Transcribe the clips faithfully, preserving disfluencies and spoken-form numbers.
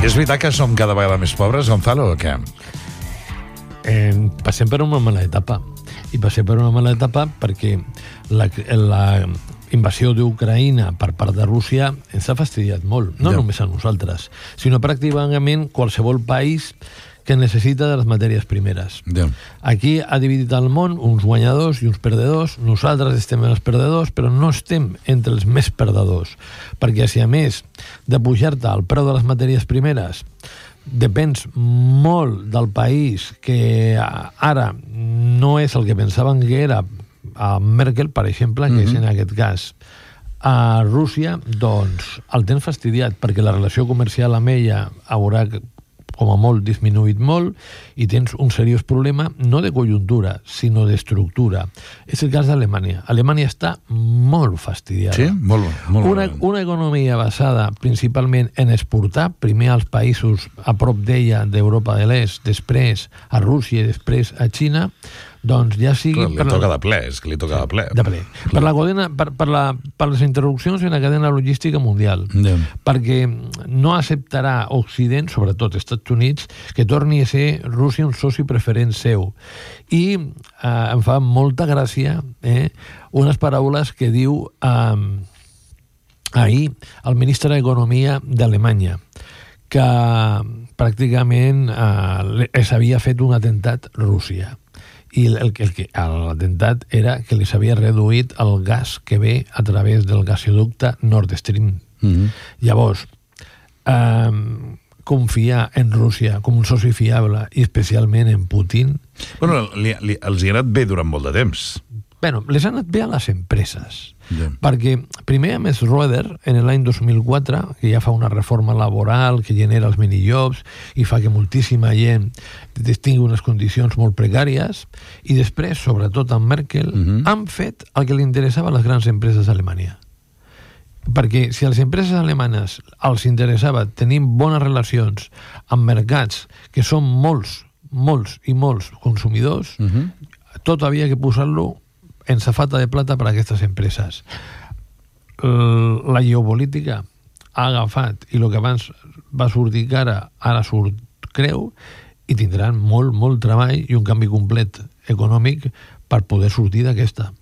És veritat que som cada vegada més pobres, Gonzalo, o què? Eh, passem per una mala etapa. I passem per una mala etapa perquè la, la invasió d'Ucraïna per part de Rússia ens ha fastidiat molt. No ja. només a nosaltres, sinó pràcticament qualsevol país que necessita de les matèries primeres. Ja. Aquí ha dividit el món uns guanyadors i uns perdedors. Nosaltres estem els perdedors, però no estem entre els més perdedors, perquè si a més de pujar-te el preu de les matèries primeres depens molt del país que ara no és el que pensaven que era a Merkel, per exemple, que mm-hmm. és en aquest cas a Rússia, doncs el tens fastidiat, perquè la relació comercial amb ella haurà com a molt disminuït molt i tens un seriós problema no de conjuntura, sinó d'estructura. És el cas d'Alemanya. Alemanya està molt fastidiada. Sí? Molt, molt una, una economia basada principalment en exportar, primer als països a prop d'ella, d'Europa de l'Est, després a Rússia i després a Xina, doncs ja sigui... Clar, li toca la... de ple, és que li toca sí, de ple. De ple. Per, la cadena, per, per, la, per les interrupcions en la cadena logística mundial. Yeah. Perquè no acceptarà Occident, sobretot Estats Units, que torni a ser Rússia un soci preferent seu. I eh, em fa molta gràcia eh, unes paraules que diu eh, ahir el ministre d'Economia d'Alemanya, que pràcticament eh, s'havia fet un atemptat Rússia. I el, el, el, l'atemptat era que li s'havia reduït el gas que ve a través del gasoducte Nord Stream. Mm-hmm. Llavors, eh, confiar en Rússia com un soci fiable, i especialment en Putin... Bueno, li, li, els hi ha anat bé durant molt de temps. Bueno, les han anat bé a les empreses. Yeah. Perquè primer a més Roeder, en l'any dos mil quatre, que ja fa una reforma laboral que genera els minijobs i fa que moltíssima gent tingui unes condicions molt precàries, i després, sobretot amb Merkel, mm-hmm. han fet el que li interessava a les grans empreses d'Alemanya. Perquè si a les empreses alemanes els interessava tenir bones relacions amb mercats que són molts, molts i molts consumidors, mm-hmm. tot havia que posar-lo en safata de plata per a aquestes empreses. La geopolítica ha agafat, i el que abans va sortir cara, ara surt creu, i tindran molt, molt treball i un canvi complet econòmic per poder sortir d'aquesta.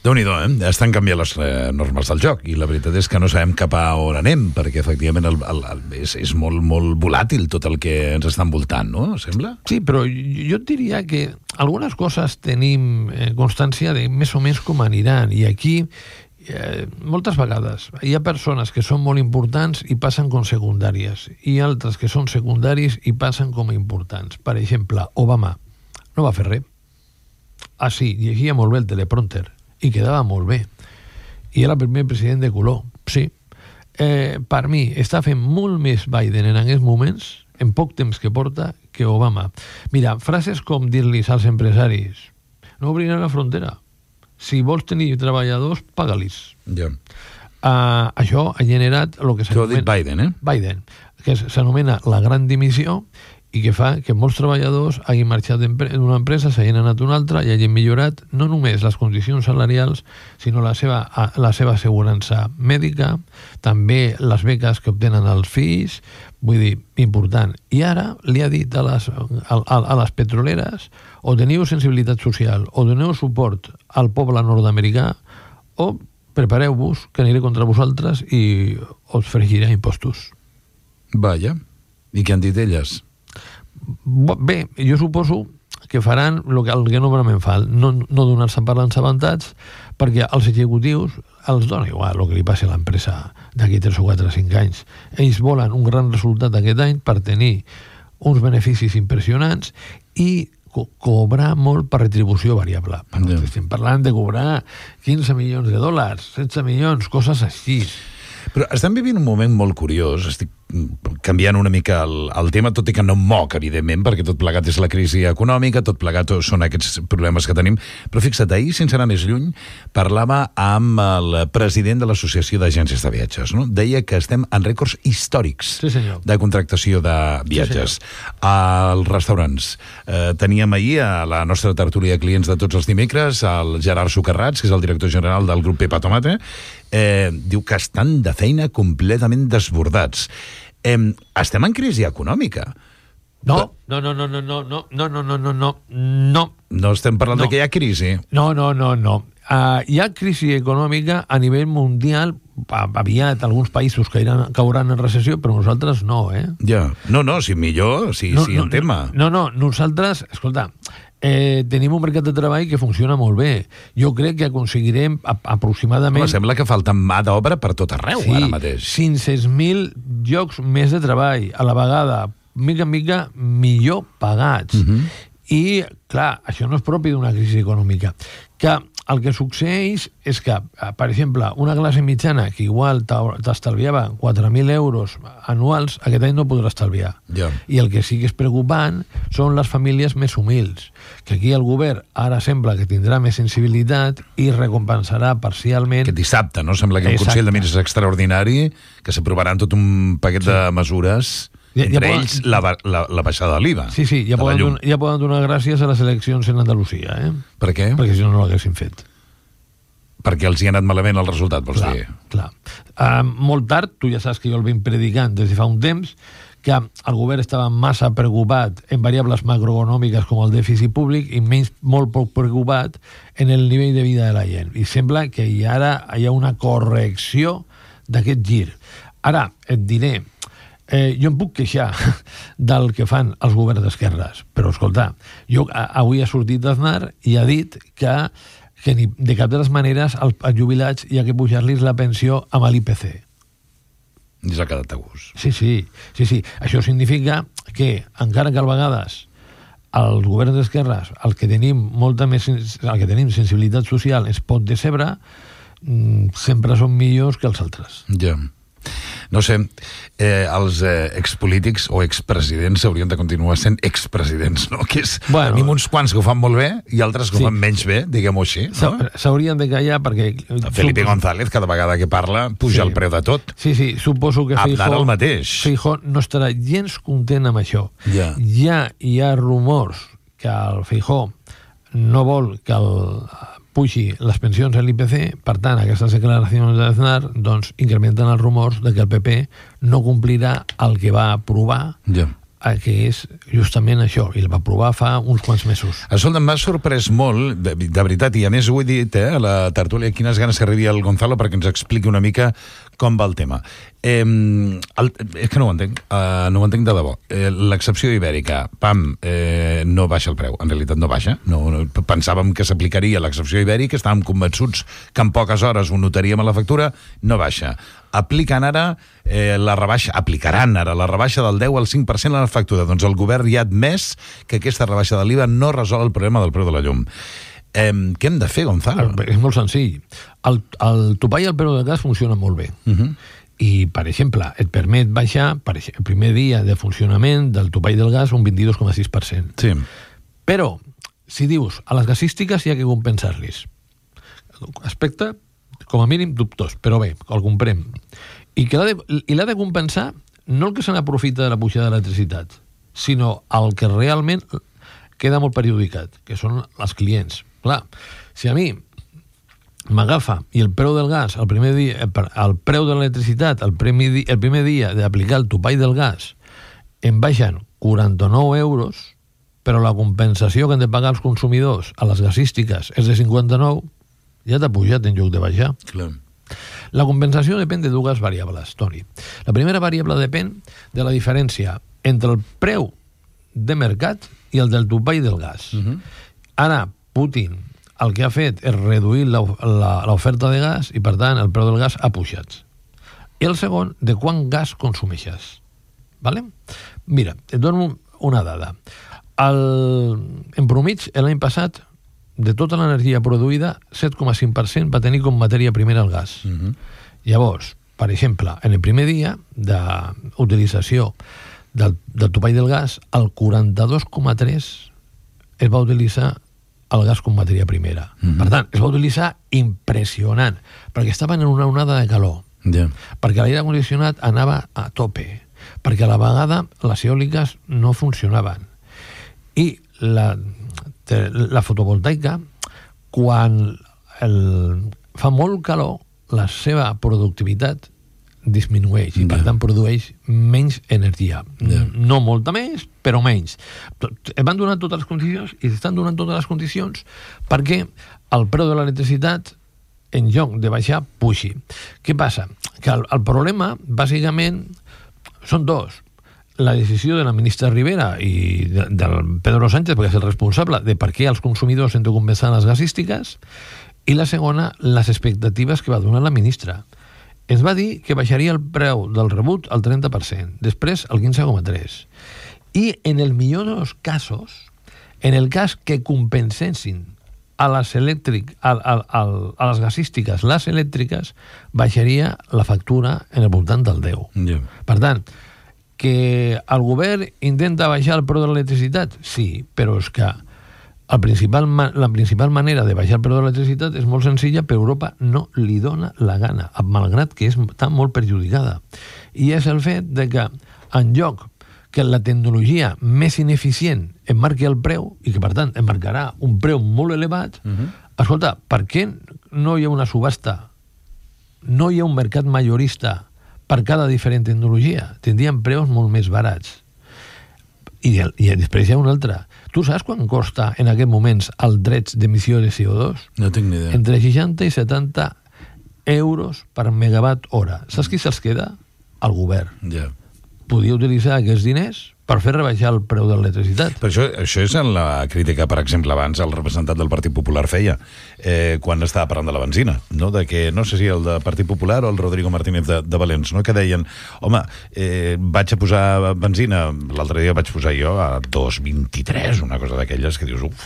Déu-n'hi-do, eh? Estan canviant les eh, normes del joc, i la veritat és que no sabem cap a on anem, perquè efectivament el, el, el, és, és molt, molt volàtil tot el que ens està envoltant, no? Sembla? Sí, però jo et diria que algunes coses tenim eh, constància de més o menys com aniran, i aquí eh, moltes vegades hi ha persones que són molt importants i passen com secundàries, i altres que són secundaris i passen com a importants. Per exemple, Obama no va fer res. Ah, sí, llegia molt bé el teleprompter i quedava molt bé. I era el primer president de color, sí. Eh, per mi, està fent molt més Biden en aquests moments, en poc temps que porta, que Obama. Mira, frases com dir-los als empresaris: no obriran la frontera. Si vols tenir treballadors, paga-lis. Ja. Uh, això ha generat el que s'anomena... Això ho ha dit Biden, eh? Biden, que s'anomena la gran dimissió, i que fa que molts treballadors hagin marxat d'una empresa, s'hagin anat a una altra i hagin millorat no només les condicions salarials, sinó la seva, la seva assegurança mèdica, també les beques que obtenen els fills, vull dir, important. I ara li ha dit a les, a, a les petroleres: o teniu sensibilitat social, o doneu suport al poble nord-americà, o prepareu-vos que aniré contra vosaltres i us fregiré impostos. Vaja, i què han dit elles? Bé, jo suposo que faran el que, el que normalment fan, no, no donar-se per l'ensabentats, perquè als executius els dona igual el que li passi a l'empresa d'aquí tres o quatre o cinc anys. Ells volen un gran resultat aquest any per tenir uns beneficis impressionants i co cobrar molt per retribució variable. Bueno, yeah. Estem parlant de cobrar quinze milions de dòlars, setze milions, coses així. Però estem vivint un moment molt curiós. Estic canviant una mica el, el tema, tot i que no moc, evidentment, perquè tot plegat és la crisi econòmica, tot plegat són aquests problemes que tenim. Però fixa't, ahir, sense anar més lluny, parlava amb el president de l'Associació d'Agències de Viatges, no? Deia que estem en rècords històrics sí, de contractació de viatges. Sí, als restaurants. Eh, teníem ahir a la nostra tertúlia de clients de tots els dimecres el Gerard Socarrats, que és el director general del grup Pepa Tomate. Eh, diu que estan de feina completament desbordats. Eh, estem en crisi econòmica. No, no, no, no, no, no, no, no, no, no, no, no, no. No estem parlant no. de que hi ha crisi. No, no, no, no. Uh, hi ha crisi econòmica a nivell mundial, aviat alguns països cairan, cauran en recessió, però nosaltres no, eh? Ja. No, no, si millor, si, no, si no, en tema. No, no, nosaltres, escolta, eh, tenim un mercat de treball que funciona molt bé. Jo crec que aconseguirem a, aproximadament... Home, sembla que falta mà d'obra per tot arreu, sí, ara mateix. cinc-cents mil llocs més de treball, a la vegada, mica en mica, millor pagats. Uh -huh. I, clar, això no és propi d'una crisi econòmica. Que el que succeeix és que, per exemple, una classe mitjana que igual t'estalviava quatre mil euros anuals, aquest any no podrà estalviar. Ja. I el que sí que és preocupant són les famílies més humils, que aquí el govern ara sembla que tindrà més sensibilitat i recompensarà parcialment... Aquest dissabte, no? Sembla que un Exacte. Consell de Ministres extraordinari que s'aprovaran tot un paquet sí. de mesures... Ja, Entre ja ells, poden... la, la, la baixada de l'I V A. Sí, sí, ja poden, donar, ja poden donar gràcies a les eleccions en Andalusia, eh? Per què? Perquè si no, no l'haguessin fet. Perquè els hi ha anat malament el resultat, vols clar, dir? Clar. Uh, molt tard, tu ja saps que jo el vinc predicant des de fa un temps, que el govern estava massa preocupat en variables macroeconòmiques com el dèficit públic i menys molt poc preocupat en el nivell de vida de la gent. I sembla que hi ara hi ha una correcció d'aquest gir. Ara, et diré... Eh, jo em puc queixar del que fan els governs d'esquerres, però escolta, jo avui ha sortit Aznar i ha dit que, que ni, de cap de les maneres als, als jubilats hi ha que pujar-los la pensió amb l'I P C. I s'ha quedat a gust. Sí, sí, sí, sí. Això significa que, encara que a vegades els governs d'esquerres, el que tenim molta més, el que tenim sensibilitat social es pot decebre, sempre són millors que els altres. Ja. No sé, eh, els eh, expolítics o expresidents haurien de continuar sent expresidents, no? Que és, bueno, tenim uns quants que ho fan molt bé i altres que sí. ho fan menys bé, diguem-ho així, no? S'haurien de callar perquè... Felipe González, cada vegada que parla, puja sí. el preu de tot. Sí, sí, suposo que Aznar el mateix. Feijóo no estarà gens content amb això. Ja. Ja hi ha rumors que el Feijóo no vol que el puixi les pensions a l'I P C, per tant, aquestes declaracions d'Aznar doncs, incrementen els rumors de que el P P no complirà el que va aprovar, ja. que és justament això, i el va aprovar fa uns quants mesos. Escolta, m'ha sorprès molt, de, de veritat, i a més ho he dit eh, a la tertúlia, quines ganes que arribi el Gonzalo perquè ens expliqui una mica com va el tema. Eh, el, és que no ho entenc, uh, no ho entenc de debò. Eh, l'excepció ibèrica, pam, eh, no baixa el preu. En realitat no baixa. No, no, pensàvem que s'aplicaria l'excepció ibèrica, estàvem convençuts que en poques hores ho notaríem a la factura, no baixa. Apliquen ara eh, la rebaixa, aplicaran ara la rebaixa del deu al cinc per cent a la factura. Doncs el govern ja ha admès que aquesta rebaixa de l'I V A no resol el problema del preu de la llum. Eh, què hem de fer, Gonzalo? És molt senzill. El, el topall al preu del gas funciona molt bé. Uh -huh. I, per exemple, et permet baixar per exemple, el primer dia de funcionament del topall del gas un vint-i-dos coma sis per cent. Sí. Però, si dius, a les gasístiques hi ha que compensar-los. Aspecte, com a mínim, dubtós, però bé, el comprem. I que l'ha de, i l'ha de compensar no el que se n'aprofita de la pujada de l'electricitat, sinó el que realment queda molt perjudicat, que són els clients. Clar, si a mi m'agafa i el preu del gas, el primer dia, el preu de l'electricitat, el primer dia, el primer dia d'aplicar el topall del gas, em baixen quaranta-nou euros, però la compensació que han de pagar els consumidors a les gasístiques és de cinquanta-nou, ja t'ha pujat en lloc de baixar. Clar. La compensació depèn de dues variables, Toni. La primera variable depèn de la diferència entre el preu de mercat i el del topall del gas. Uh-huh. Ara, Putin el que ha fet és reduir l'oferta de gas i, per tant, el preu del gas ha pujat. I el segon, de quant gas consumeixes. Vale? Mira, et dono una dada. El, en promig, l'any passat, de tota l'energia produïda, set coma cinc per cent va tenir com matèria primera el gas. Uh-huh. Llavors, per exemple, en el primer dia d'utilització del, del topall del gas, el quaranta-dos coma tres es va utilitzar el gas com matèria primera. Uh-huh. Per tant, es va utilitzar impressionant, perquè estaven en una onada de calor, yeah. perquè l'aire condicionat anava a tope, perquè a la vegada les eòliques no funcionaven. I la, la fotovoltaica, quan el, fa molt calor, la seva productivitat disminueix i, per tant, produeix menys energia. Yeah. No molta més, però menys. Es van donar totes les condicions i s'estan donant totes les condicions perquè el preu de l'electricitat, en lloc de baixar, puixi. Què passa? Que el, el problema, bàsicament, són dos. La decisió de la ministra Rivera i de, del Pedro Sánchez, perquè és el responsable de per què els consumidors hem de compensar les gasístiques, i la segona, les expectatives que va donar la ministra. Es va dir que baixaria el preu del rebut al trenta per cent, després al quinze coma tres. I en el millor dels casos, en el cas que compensessin a les elèctric, a, a, a, a les gasístiques, les elèctriques, baixaria la factura en el voltant del deu. Yeah. Per tant, que el govern intenta baixar el preu de l'electricitat? Sí, però és que el principal, la principal manera de baixar el preu de l'electricitat és molt senzilla, però Europa no li dona la gana, malgrat que està molt perjudicada. I és el fet de que, en lloc que la tecnologia més ineficient em marqui el preu, i que, per tant, em marcarà un preu molt elevat, uh-huh. escolta, per què no hi ha una subhasta? No hi ha un mercat majorista per cada diferent tecnologia? Tindrien preus molt més barats. I, i després hi ha una altra. Tu saps quan costa en aquests moments els drets d'emissió de C O dos? No tinc ni idea. Entre seixanta i setanta euros per megawatt hora. Saps qui se'ls queda? El govern. Ja. Yeah. Podia utilitzar aquests diners per fer rebaixar el preu de l'electricitat. Però això, això és en la crítica, per exemple, abans el representant del Partit Popular feia, eh, quan estava parlant de la benzina, no? De que, no sé si el del Partit Popular o el Rodrigo Martínez de, de Valens, no? Que deien, home, eh, vaig a posar benzina, l'altre dia vaig posar jo a dos coma vint-i-tres, una cosa d'aquelles que dius, uf,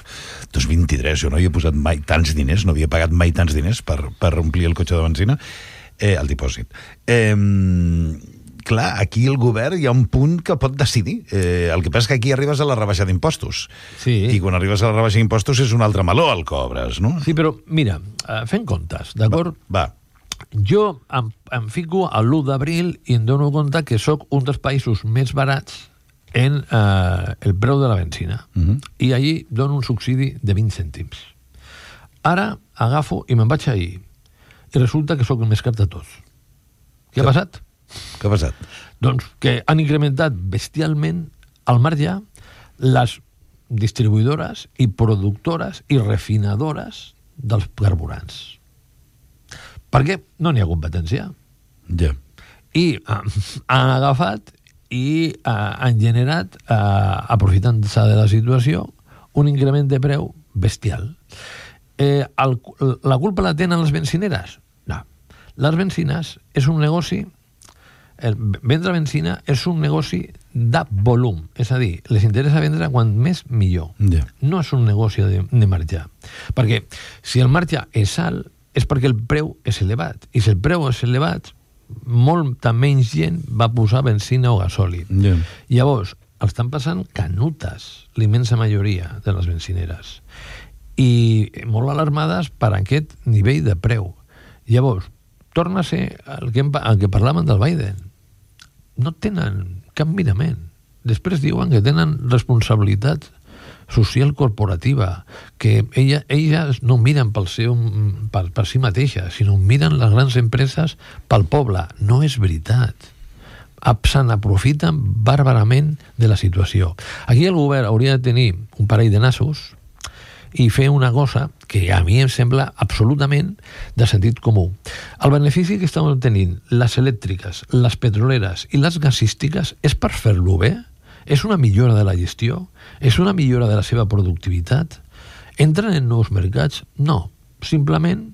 dos coma vint-i-tres, jo no hi he posat mai tants diners, no havia pagat mai tants diners per, per omplir el cotxe de benzina, eh, el dipòsit. Eh, clar, aquí el govern hi ha un punt que pot decidir. Eh, el que passa és que aquí arribes a la rebaixa d'impostos. Sí. I quan arribes a la rebaixa d'impostos és un altre meló el cobres, no? Sí, però mira, fent comptes, d'acord? Va, va. Jo em, em fico a l'u d'abril i em dono compte que sóc un dels països més barats en eh, el preu de la benzina. Uh-huh. I allí dono un subsidi de vint cèntims. Ara agafo i me'n vaig ahir. I resulta que sóc el més car de tots. Què ha passat? Què ha passat? Doncs que han incrementat bestialment al marge les distribuïdores i productores i refinadores dels carburants. Perquè no n'hi ha competència. Ja. Yeah. I uh, han agafat i uh, han generat, uh, aprofitant-se de la situació, un increment de preu bestial. Eh, el, la culpa la tenen les benzineres? No. Les benzines és un negoci. El vendre benzina és un negoci de volum, és a dir, les interessa vendre quan més millor. Yeah. No és un negoci de, de marge. Perquè si el marge és alt és perquè el preu és elevat, i si el preu és elevat molta menys gent va posar benzina o gasoli. Yeah. Llavors, estan passant canutes la immensa majoria de les benzineres i molt alarmades per aquest nivell de preu. Llavors, torna a ser el que, el que parlaven del Biden. No tenen cap mirament. Després diuen que tenen responsabilitat social corporativa, que ella, elles no miren pel seu, per, per si mateixa, sinó miren les grans empreses pel poble. No és veritat. Se n'aprofiten bàrbarament de la situació. Aquí el govern hauria de tenir un parell de nassos i fer una cosa que a mi em sembla absolutament de sentit comú. El benefici que estan obtenint les elèctriques, les petroleres i les gasístiques és per fer-lo bé? És una millora de la gestió? És una millora de la seva productivitat? Entren en nous mercats? No. Simplement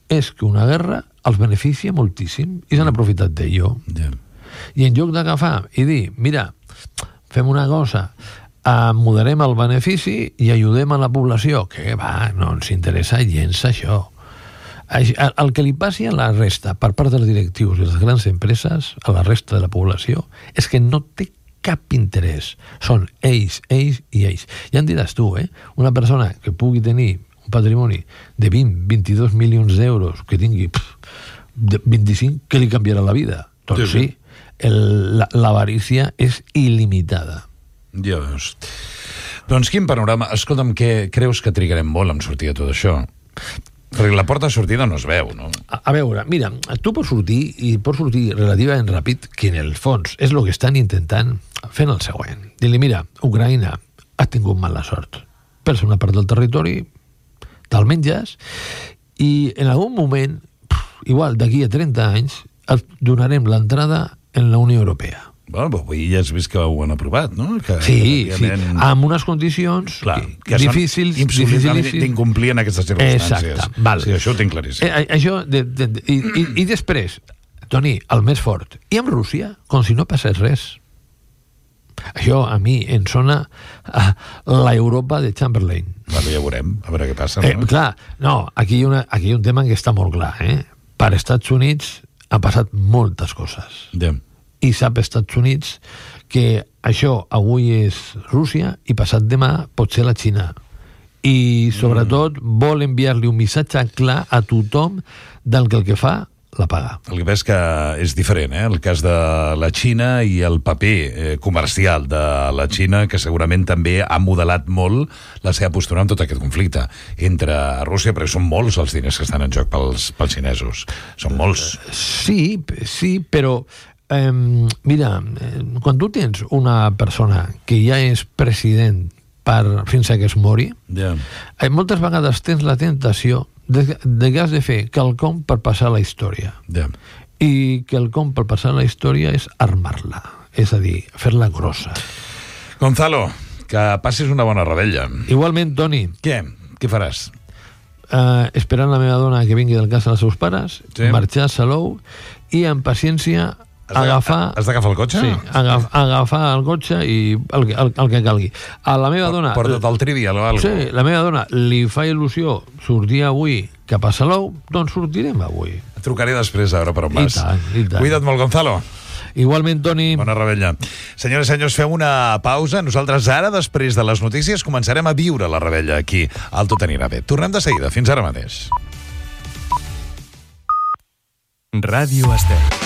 és que una guerra els beneficia moltíssim i s'han aprofitat d'ello. Yeah. I en lloc d'agafar i dir, mira, fem una cosa, Uh, moderem el benefici i ajudem a la població, que va, no ens interessa gens això. El, el que li passi a la resta per part dels directius i les grans empreses, a la resta de la població, és que no té cap interès. Són ells, ells i ells. Ja en diràs tu, eh? Una persona que pugui tenir un patrimoni de vint, vint-i-dos milions d'euros, que tingui pff, de vint-i-cinc, què li canviarà la vida? Doncs sí, sí l'avarícia és il·limitada. Ja veus. Doncs quin panorama. Escolta'm, què creus que trigarem molt en sortir de tot això? Perquè la porta de sortida no es veu, no? A, a veure, mira, tu pots sortir, i pots sortir relativament ràpid, que en el fons és el que estan intentant fent el següent. Dir-li, mira, Ucraïna ha tingut mala sort. Per ser una part del territori, te'l menges, i en algun moment, igual d'aquí a trenta anys, et donarem l'entrada en la Unió Europea. Bueno, però avui ja has vist que ho han aprovat, no? Que, sí, sí, amb unes condicions clar, que difícils, difícils d'incomplir en aquestes circumstàncies. Exacte, val. Sí, això ho tinc claríssim. Eh, això, de, de, de, i, i, I després, Toni, el més fort, i amb Rússia, com si no passés res. Això a mi em sona a l'Europa de Chamberlain. Bueno, ja veurem, a veure què passa. Eh, no? Clar, no, aquí hi, ha una, aquí hi ha un tema que està molt clar. Eh? Per Estats Units ha passat moltes coses. Ja. I sap Estats Units que això avui és Rússia i passat demà pot ser la Xina. I sobretot mm. vol enviar-li un missatge clar a tothom del que el que fa la paga. El que veig que és diferent, eh? El cas de la Xina i el paper eh, comercial de la Xina, que segurament també ha modelat molt la seva postura en tot aquest conflicte entre Rússia, perquè són molts els diners que estan en joc pels, pels xinesos. Són molts. Sí, sí, però eh, mira, quan tu tens una persona que ja és president per, fins a que es mori, yeah. eh, moltes vegades tens la tentació de, de que has de fer quelcom per passar la història. Yeah. I quelcom per passar la història és armar-la, és a dir, fer-la grossa. Gonzalo, que passis una bona rebella. Igualment, Toni. Què? Què faràs? Uh, esperant la meva dona que vingui del cas dels seus pares, sí. Marxar a Salou i amb paciència Has agafar... Has d'agafar el cotxe? Sí, agaf, agafar el cotxe i el, el, el que calgui. A la meva dona... Porta't el trivial o alguna cosa. Sí, la meva dona li fa il·lusió sortir avui cap a Salou, doncs sortirem avui. Et trucaré després a veure per on vas. I tant, i tant. Cuida't molt, Gonzalo. Igualment, Toni. Bona rebella. Senyores i senyors, fem una pausa. Nosaltres ara, després de les notícies, començarem a viure la rebella aquí, al Tot anirà bé. Tornem de seguida. Fins ara mateix. Ràdio Estel.